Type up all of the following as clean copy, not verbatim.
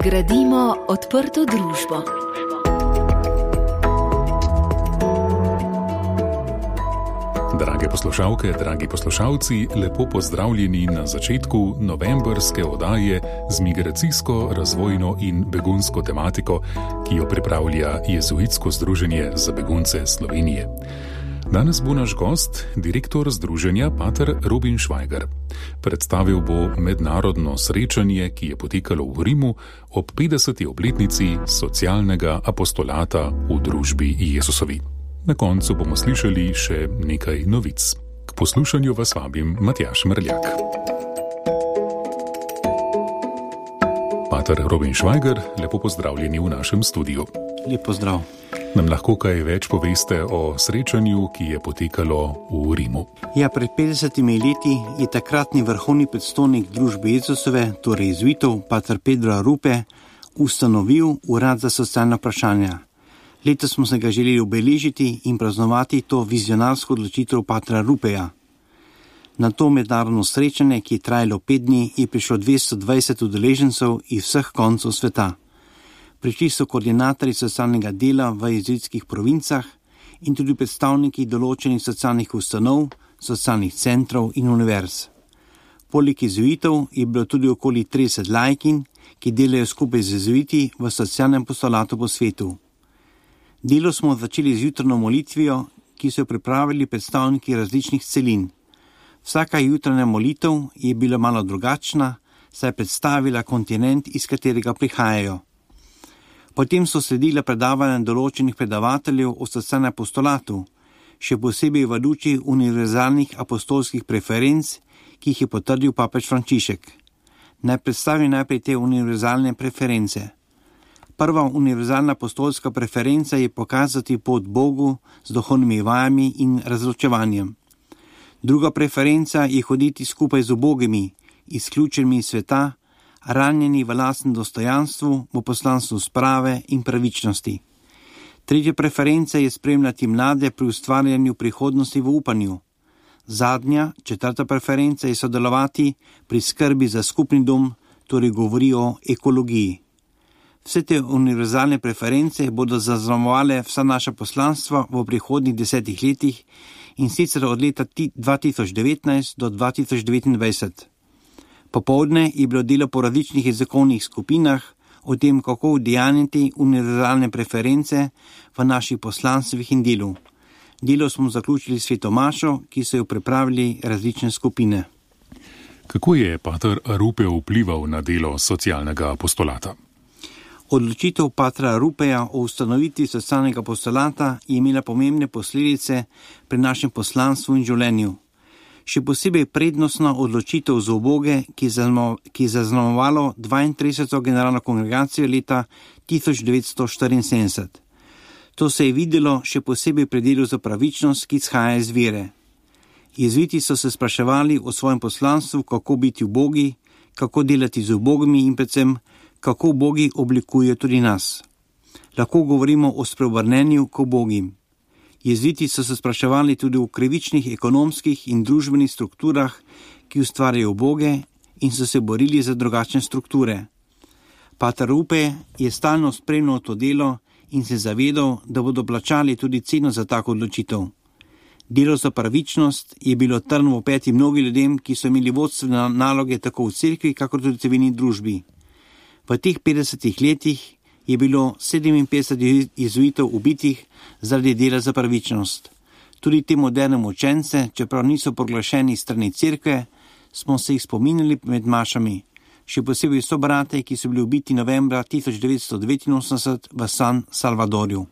Gradimo odprto družbo. Drage poslušalke, dragi poslušalci, lepo pozdravljeni na začetku novembrske oddaje z migracijsko, razvojno in begunsko tematiko, ki jo pripravlja Jezuitsko združenje za begunce Slovenije. Danes bo naš gost, direktor združenja pater Robin Švajger. Predstavil bo mednarodno srečanje, ki je potekalo v Rimu ob 50. obletnici socialnega apostolata v družbi Jezusovi. Na koncu bomo slišali še nekaj novic. K poslušanju vas vabim Matjaž Mrljak. Pater Robin Švajger, lepo pozdravljeni v našem studiu. Lep pozdrav. Nam lahko kaj več poveste o srečanju, ki je potekalo v Rimu? Ja, pred 50 leti je takratni vrhovni predstojnik družbe Jezusove, torej jezuitov, pater Pedro Arupe, ustanovil urad za socialna vprašanja. Letos smo se ga želeli obeležiti in praznovati to vizionarsko odločitev patra Arupeja. Na to mednarodno srečanje, ki je trajalo 5 dni, je prišlo 220 udeležencev iz vseh koncev sveta. Prišli so koordinatorji socialnega dela v jezuitskih provincah in tudi predstavniki določenih socialnih ustanov, socialnih centrov in univerz. Poleg jezuitov je bilo tudi okoli 30 laikin, ki delajo skupaj z jezuiti v socialnem apostolatu po svetu. Delo smo začeli z jutrno molitvijo, ki so jo pripravili predstavniki različnih celin. Vsaka jutranja molitev je bila malo drugačna, saj je predstavila kontinent, iz katerega prihajajo. Potem so sledila predavanja določenih predavateljev o socialnem apostolatu, še posebej v luči univerzalnih apostolskih preferenc, ki jih je potrdil papež Frančišek. Naj predstavim najprej te univerzalne preference. Prva univerzalna apostolska preferenca je pokazati pot Bogu z duhovnimi vajami in razločevanjem. Druga preferenca je hoditi skupaj z ubogimi, izključenimi iz sveta, ranjeni v lastnem dostojanstvu, v poslanstvu sprave in pravičnosti. Tretja preferenca je spremljati mlade pri ustvarjanju prihodnosti v upanju. Zadnja, četrta preferenca je sodelovati pri skrbi za skupni dom, torej govori o ekologiji. Vse te univerzalne preference bodo zaznamovale vsa naša poslanstva v prihodnjih 10 letih in sicer od leta 2019 do 2029. Popoldne je bilo delo po različnih jezikovnih skupinah o tem, kako udejanjiti univerzalne preference v naših poslanstvih in delu. Delo smo zaključili s sveto mašo, ki so jo pripravili različne skupine. Kako je pater Arupe vplival na delo socialnega apostolata? Odločitev patra Arupeja o ustanovitvi socialnega apostolata je imela pomembne posledice pri našem poslanstvu in življenju. Še posebej prednostna odločitev za uboge, ki je zaznamovalo 32. generalno kongregacijo leta 1974. To se je videlo še posebej pri delu za pravičnost, ki izhaja iz vere. Jezuiti so se spraševali o svojem poslanstvu, kako biti ubogi, kako delati z ubogimi in predvsem, kako ubogi oblikujejo tudi nas. Lahko govorimo o spreobrnenju k ubogim. Jezuiti so se spraševali tudi o krivičnih ekonomskih in družbenih strukturah, ki ustvarjajo uboge in so se borili za drugačne strukture. Pater Arupe je stalno spremljal to delo in se zavedal, da bodo plačali tudi ceno za tako odločitev. Delo za pravičnost je bilo trn v peti mnogim ljudem, ki so imeli vodstvene naloge tako v cerkvi, kakor tudi v civilni družbi. V teh 50 letih je bilo 57 jezuitov ubitih zaradi dela za pravičnost. Tudi te moderne učence, čeprav niso proglašeni strani cerkve, smo se jih spominjali med mašami. Še posebej so brate, ki so bili ubiti novembra 1989 v San Salvadorju.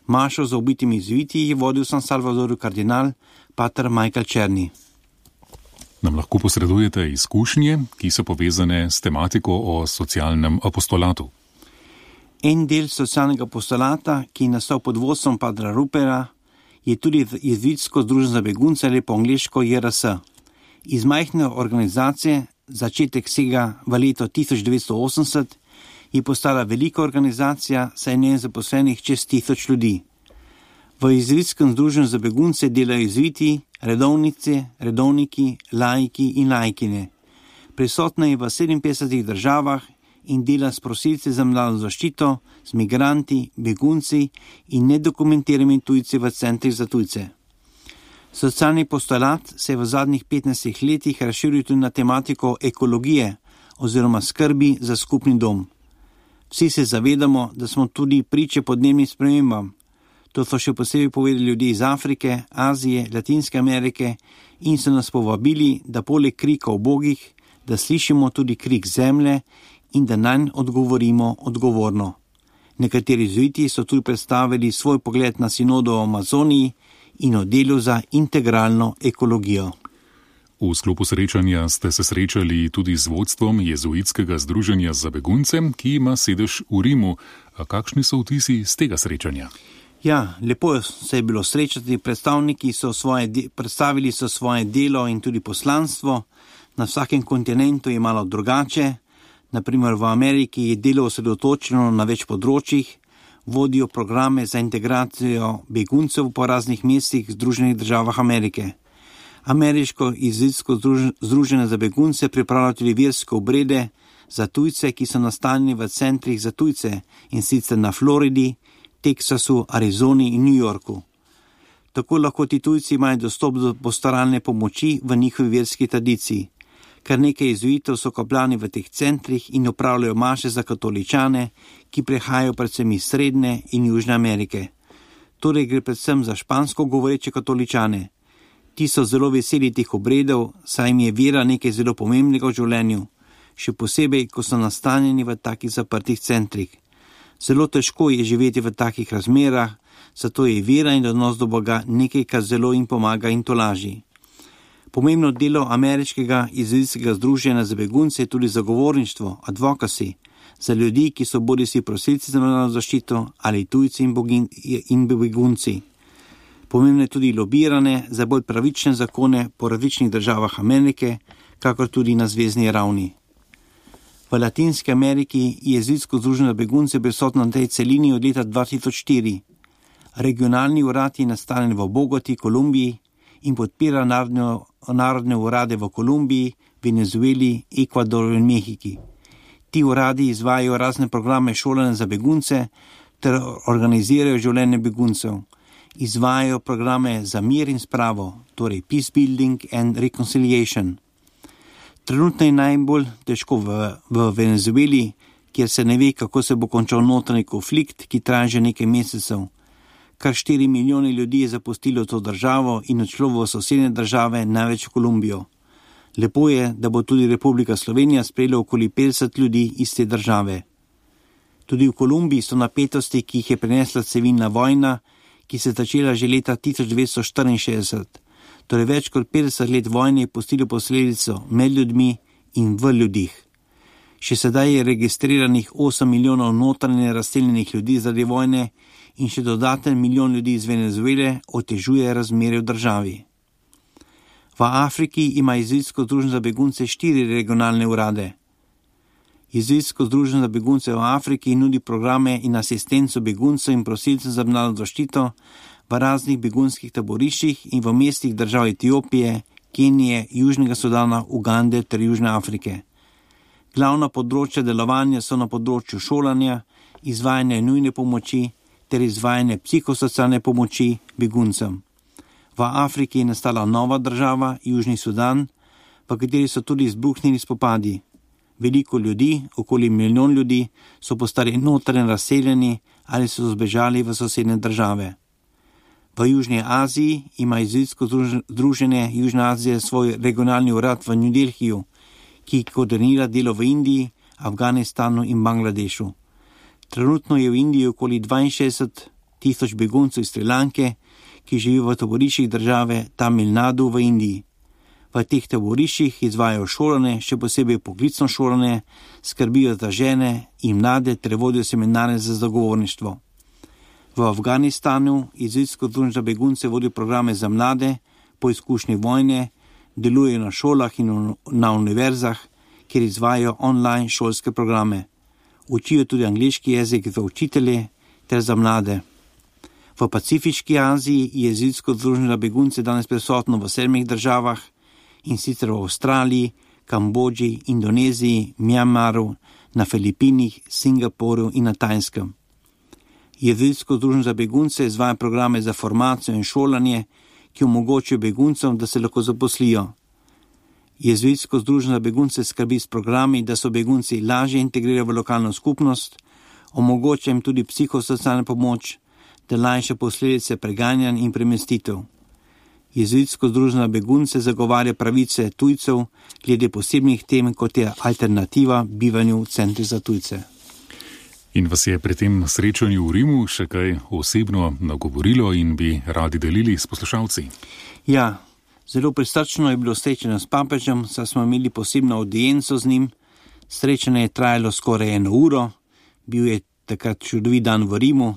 Mašo za ubitimi jezuiti je vodil v San Salvadorju kardinal pater Michael Černi. Nam lahko posredujete izkušnje, ki so povezane s tematiko o socialnem apostolatu? En del socialnega apostolata, ki je nastal pod vodstvom patra Arupeja, je tudi Jezuitsko združenje za begunce ali po angleško JRS. Iz majhne organizacije, začetek sega v leto 1980, je postala velika organizacija, saj je zaposlenih čez 1000 ljudi. V Jezuitskem združenju za begunce delajo jezuiti, redovnice, redovniki, laiki in laikine. Prisotna je v 57 državah in dela s prosilci za mednarodno zaščito, z migranti, begunci in nedokumentiranimi tujci v centrih za tujce. Socialni postulat se je v zadnjih 15 letih razširil tudi na tematiko ekologije oziroma skrbi za skupni dom. Vsi se zavedamo, da smo tudi priče podnebnim spremembam. To so še posebej povedali ljudje iz Afrike, Azije, Latinske Amerike in so nas povabili, da poleg krika ubogih, da slišimo tudi krik zemlje in da nanj odgovorimo odgovorno. Nekateri jezuiti so tudi predstavili svoj pogled na sinodo o Amazoniji in o delu za integralno ekologijo. V sklopu srečanja ste se srečali tudi z vodstvom Jezuitskega združenja za begunce, ki ima sedež v Rimu. A kakšni so vtisi z tega srečanja? Ja, lepo se je bilo srečati, predstavniki so predstavili svoje delo in tudi poslanstvo. Na vsakem kontinentu je malo drugače. Naprimer v Ameriki je delo osredotočeno na več področjih, vodijo programe za integracijo beguncev po raznih mestih v Združenih državah Amerike. Ameriško jezuitsko združenje za begunce pripravlja tudi verske obrede za tujce, ki so nastanjeni v centrih za tujce, in sicer na Floridi, Teksasu, Arizoni in New Yorku. Tako lahko ti tujci imajo dostop do postaralne pomoči v njihovi verski tradiciji. Kar nekaj jezuitov so kopljani v teh centrih in opravljajo maše za katoličane, ki prihajajo predvsem iz Srednje in Južne Amerike. Torej gre predvsem za špansko govoreče katoličane. Ti so zelo veseli teh obredov, saj jim je vera nekaj zelo pomembnega v življenju, še posebej, ko so nastanjeni v takih zaprtih centrih. Zelo težko je živeti v takih razmerah, zato je vera in odnos do Boga nekaj, kar zelo jim pomaga in tolaži. Pomembno delo ameriškega jezuitskega združenja za begunce je tudi zagovorništvo, advocacy, za ljudi, ki so bodisi prosilci za mednarodno zaščito ali tujci in begunci. Pomembno je tudi lobiranje za bolj pravične zakone po različnih državah Amerike, kakor tudi na zvezni ravni. V Latinski Ameriki je jezuitsko združenje za begunce prisotno na tej celini od leta 2004. Regionalni urad je nastanjen v Bogoti, Kolumbiji in podpira narodne urade v Kolumbiji, Venezueli, Ekvadoru in Mehiki. Ti uradi izvajajo razne programe šolanja za begunce ter organizirajo življenje beguncev. Izvajajo programe za mir in spravo, torej peace building and reconciliation. Trenutno je najbolj težko v Venezueli, kjer se ne ve, kako se bo končal notranji konflikt, ki traja že nekaj mesecev. Kar 4 milijone ljudi je zapustilo to državo in odšlo v sosednje države, največ v Kolumbijo. Lepo je, da bo tudi Republika Slovenija sprejela okoli 50 ljudi iz te države. Tudi v Kolumbiji so napetosti, ki jih je prinesla civilna vojna, ki se je začela že leta 1964. Torej več kot 50 let vojne je pustilo posledico med ljudmi in v ljudih. Še sedaj je registriranih 8 milijonov notranje razseljenih ljudi zaradi vojne in še dodaten milijon ljudi iz Venezuele otežuje razmere v državi. V Afriki ima jezuitsko združenje za begunce 4 regionalne urade. Jezuitsko združenje za begunce v Afriki nudi programe in asistenco beguncev in prosilcev za mednarodno zaščito v raznih begunskih taboriščih in v mestih držav Etiopije, Kenije, Južnega Sudana, Ugande ter Južne Afrike. Glavna področja delovanja so na področju šolanja, izvajanja nujne pomoči ter izvajanja psihosocialne pomoči beguncem. V Afriki je nastala nova država, Južni Sudan, v kateri so tudi izbruhnili spopadi. Veliko ljudi, okoli 1 milijon ljudi, so postali notranje razseljeni ali so zbežali v sosednje države. V Južni Aziji ima jezuitsko združenje Južne Azije svoj regionalni urad v New Delhiju, ki koordinira delo v Indiji, Afganistanu in Bangladešu. Trenutno je v Indiji okoli 62 tisoč beguncev iz Šrilanke, ki živijo v taboriščih države Tamil Nadu v Indiji. V teh taboriščih izvajajo šolanje, še posebej poklicno šolanje, skrbijo za žene in mlade ter vodijo seminare za zagovorništvo. V Afganistanu jezuitsko združenje za begunce vodi programe za mlade po izkušnji vojne, delujejo na šolah in na univerzah, kjer izvajajo online šolske programe. Učijo tudi angleški jezik za učitelje ter za mlade. V Pacifiški Aziji je jezuitsko združenje za begunce danes prisotno v 7 državah, in sicer v Avstraliji, Kambodži, Indoneziji, Mjanmaru, na Filipinih, Singapurju in na Tajskem. Jezuitsko združenje za begunce izvaja programe za formacijo in šolanje, ki omogočajo beguncem, da se lahko zaposlijo. Jezuitsko združenje za begunce skrbi s programi, da so begunci lažje integrirajo v lokalno skupnost, omogoča jim tudi psihosocialno pomoč, da lajša posledice preganjanj in premestitev. Jezuitsko združenje za begunce zagovarja pravice tujcev glede posebnih tem, kot je alternativa bivanju v centrih za tujce. In vas je pri tem srečanju v Rimu še kaj osebno nagovorilo in bi radi delili s poslušalci? Ja, zelo prisrčno je bilo srečanje s papežem, saj smo imeli posebno audienco z njim. Srečanje je trajalo skoraj 1 uro, bil je takrat čudovit dan v Rimu.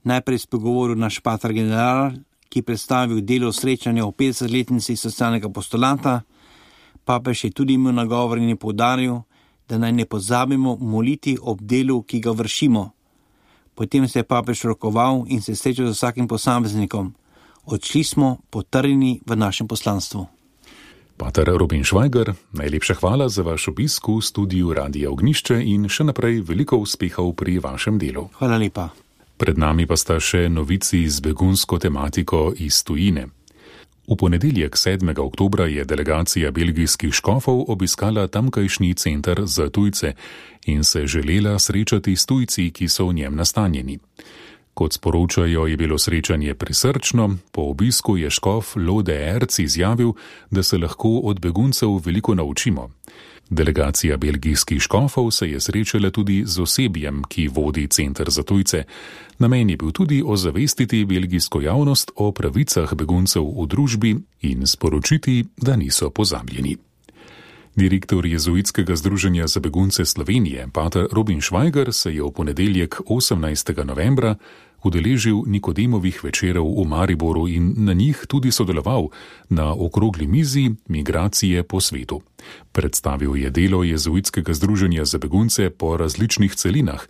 Najprej spregovoril naš pater general, ki predstavil delo srečanja o 50-letnici socialnega apostolata. Papež je tudi imel nagovor in je poudaril, da naj ne pozabimo moliti ob delu, ki ga vršimo. Potem se je papež rokoval in se srečal z vsakim posameznikom. Odšli smo potrjeni v našem poslanstvu. Pater Robin Švajger, najlepša hvala za vaš obisk v studiu Radia Ognjišče in še naprej veliko uspehov pri vašem delu. Hvala lepa. Pred nami pa sta še novici z begunsko tematiko iz tujine. V ponedeljek 7. oktobra je delegacija belgijskih škofov obiskala tamkajšnji center za tujce in se želela srečati s tujci, ki so v njem nastanjeni. Kot sporočajo, je bilo srečanje prisrčno, po obisku je škof Lode Erc izjavil, da se lahko od beguncev veliko naučimo. Delegacija belgijskih škofov se je srečala tudi z osebjem, ki vodi center za tujce. Namen je bil tudi ozavestiti belgijsko javnost o pravicah beguncev v družbi in sporočiti, da niso pozabljeni. Direktor Jezuitskega združenja za begunce Slovenije, pater Robin Švajger, se je v ponedeljek 18. novembra udeležil Nikodemovih večerov v Mariboru in na njih tudi sodeloval na okrogli mizi Migracije po svetu. Predstavil je delo Jezuitskega združenja za begunce po različnih celinah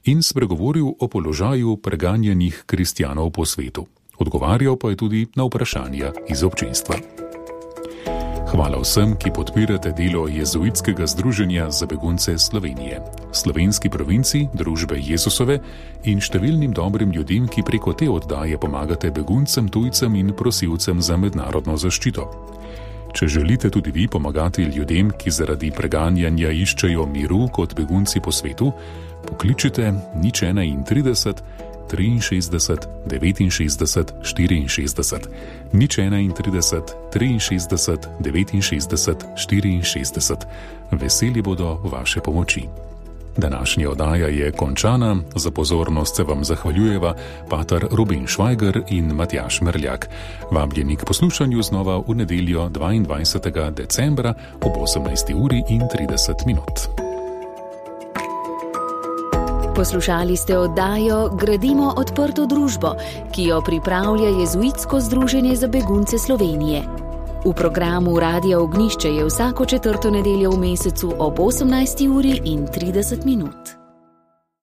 in spregovoril o položaju preganjanih kristjanov po svetu. Odgovarjal pa je tudi na vprašanja iz občinstva. Hvala vsem, ki podpirate delo Jezuitskega združenja za begunce Slovenije, slovenski provinci, družbe Jezusove in številnim dobrim ljudem, ki preko te oddaje pomagate beguncem, tujcem in prosilcem za mednarodno zaščito. Če želite tudi vi pomagati ljudem, ki zaradi preganjanja iščejo miru kot begunci po svetu, pokličite 031 63 69 64, 031 63 69 64. Veseli bodo vaše pomoči. Današnja oddaja je končana, za pozornost se vam zahvaljujeva pater Robin Švajger in Matjaž Merljak. Vabljeni k poslušanju znova v nedeljo 22. decembra ob 18:30. Poslušali ste oddajo Gradimo odprto družbo, ki jo pripravlja Jezuitsko združenje za begunce Slovenije. V programu Radia Ognjišče je vsako 4. nedeljo v mesecu ob 18:30.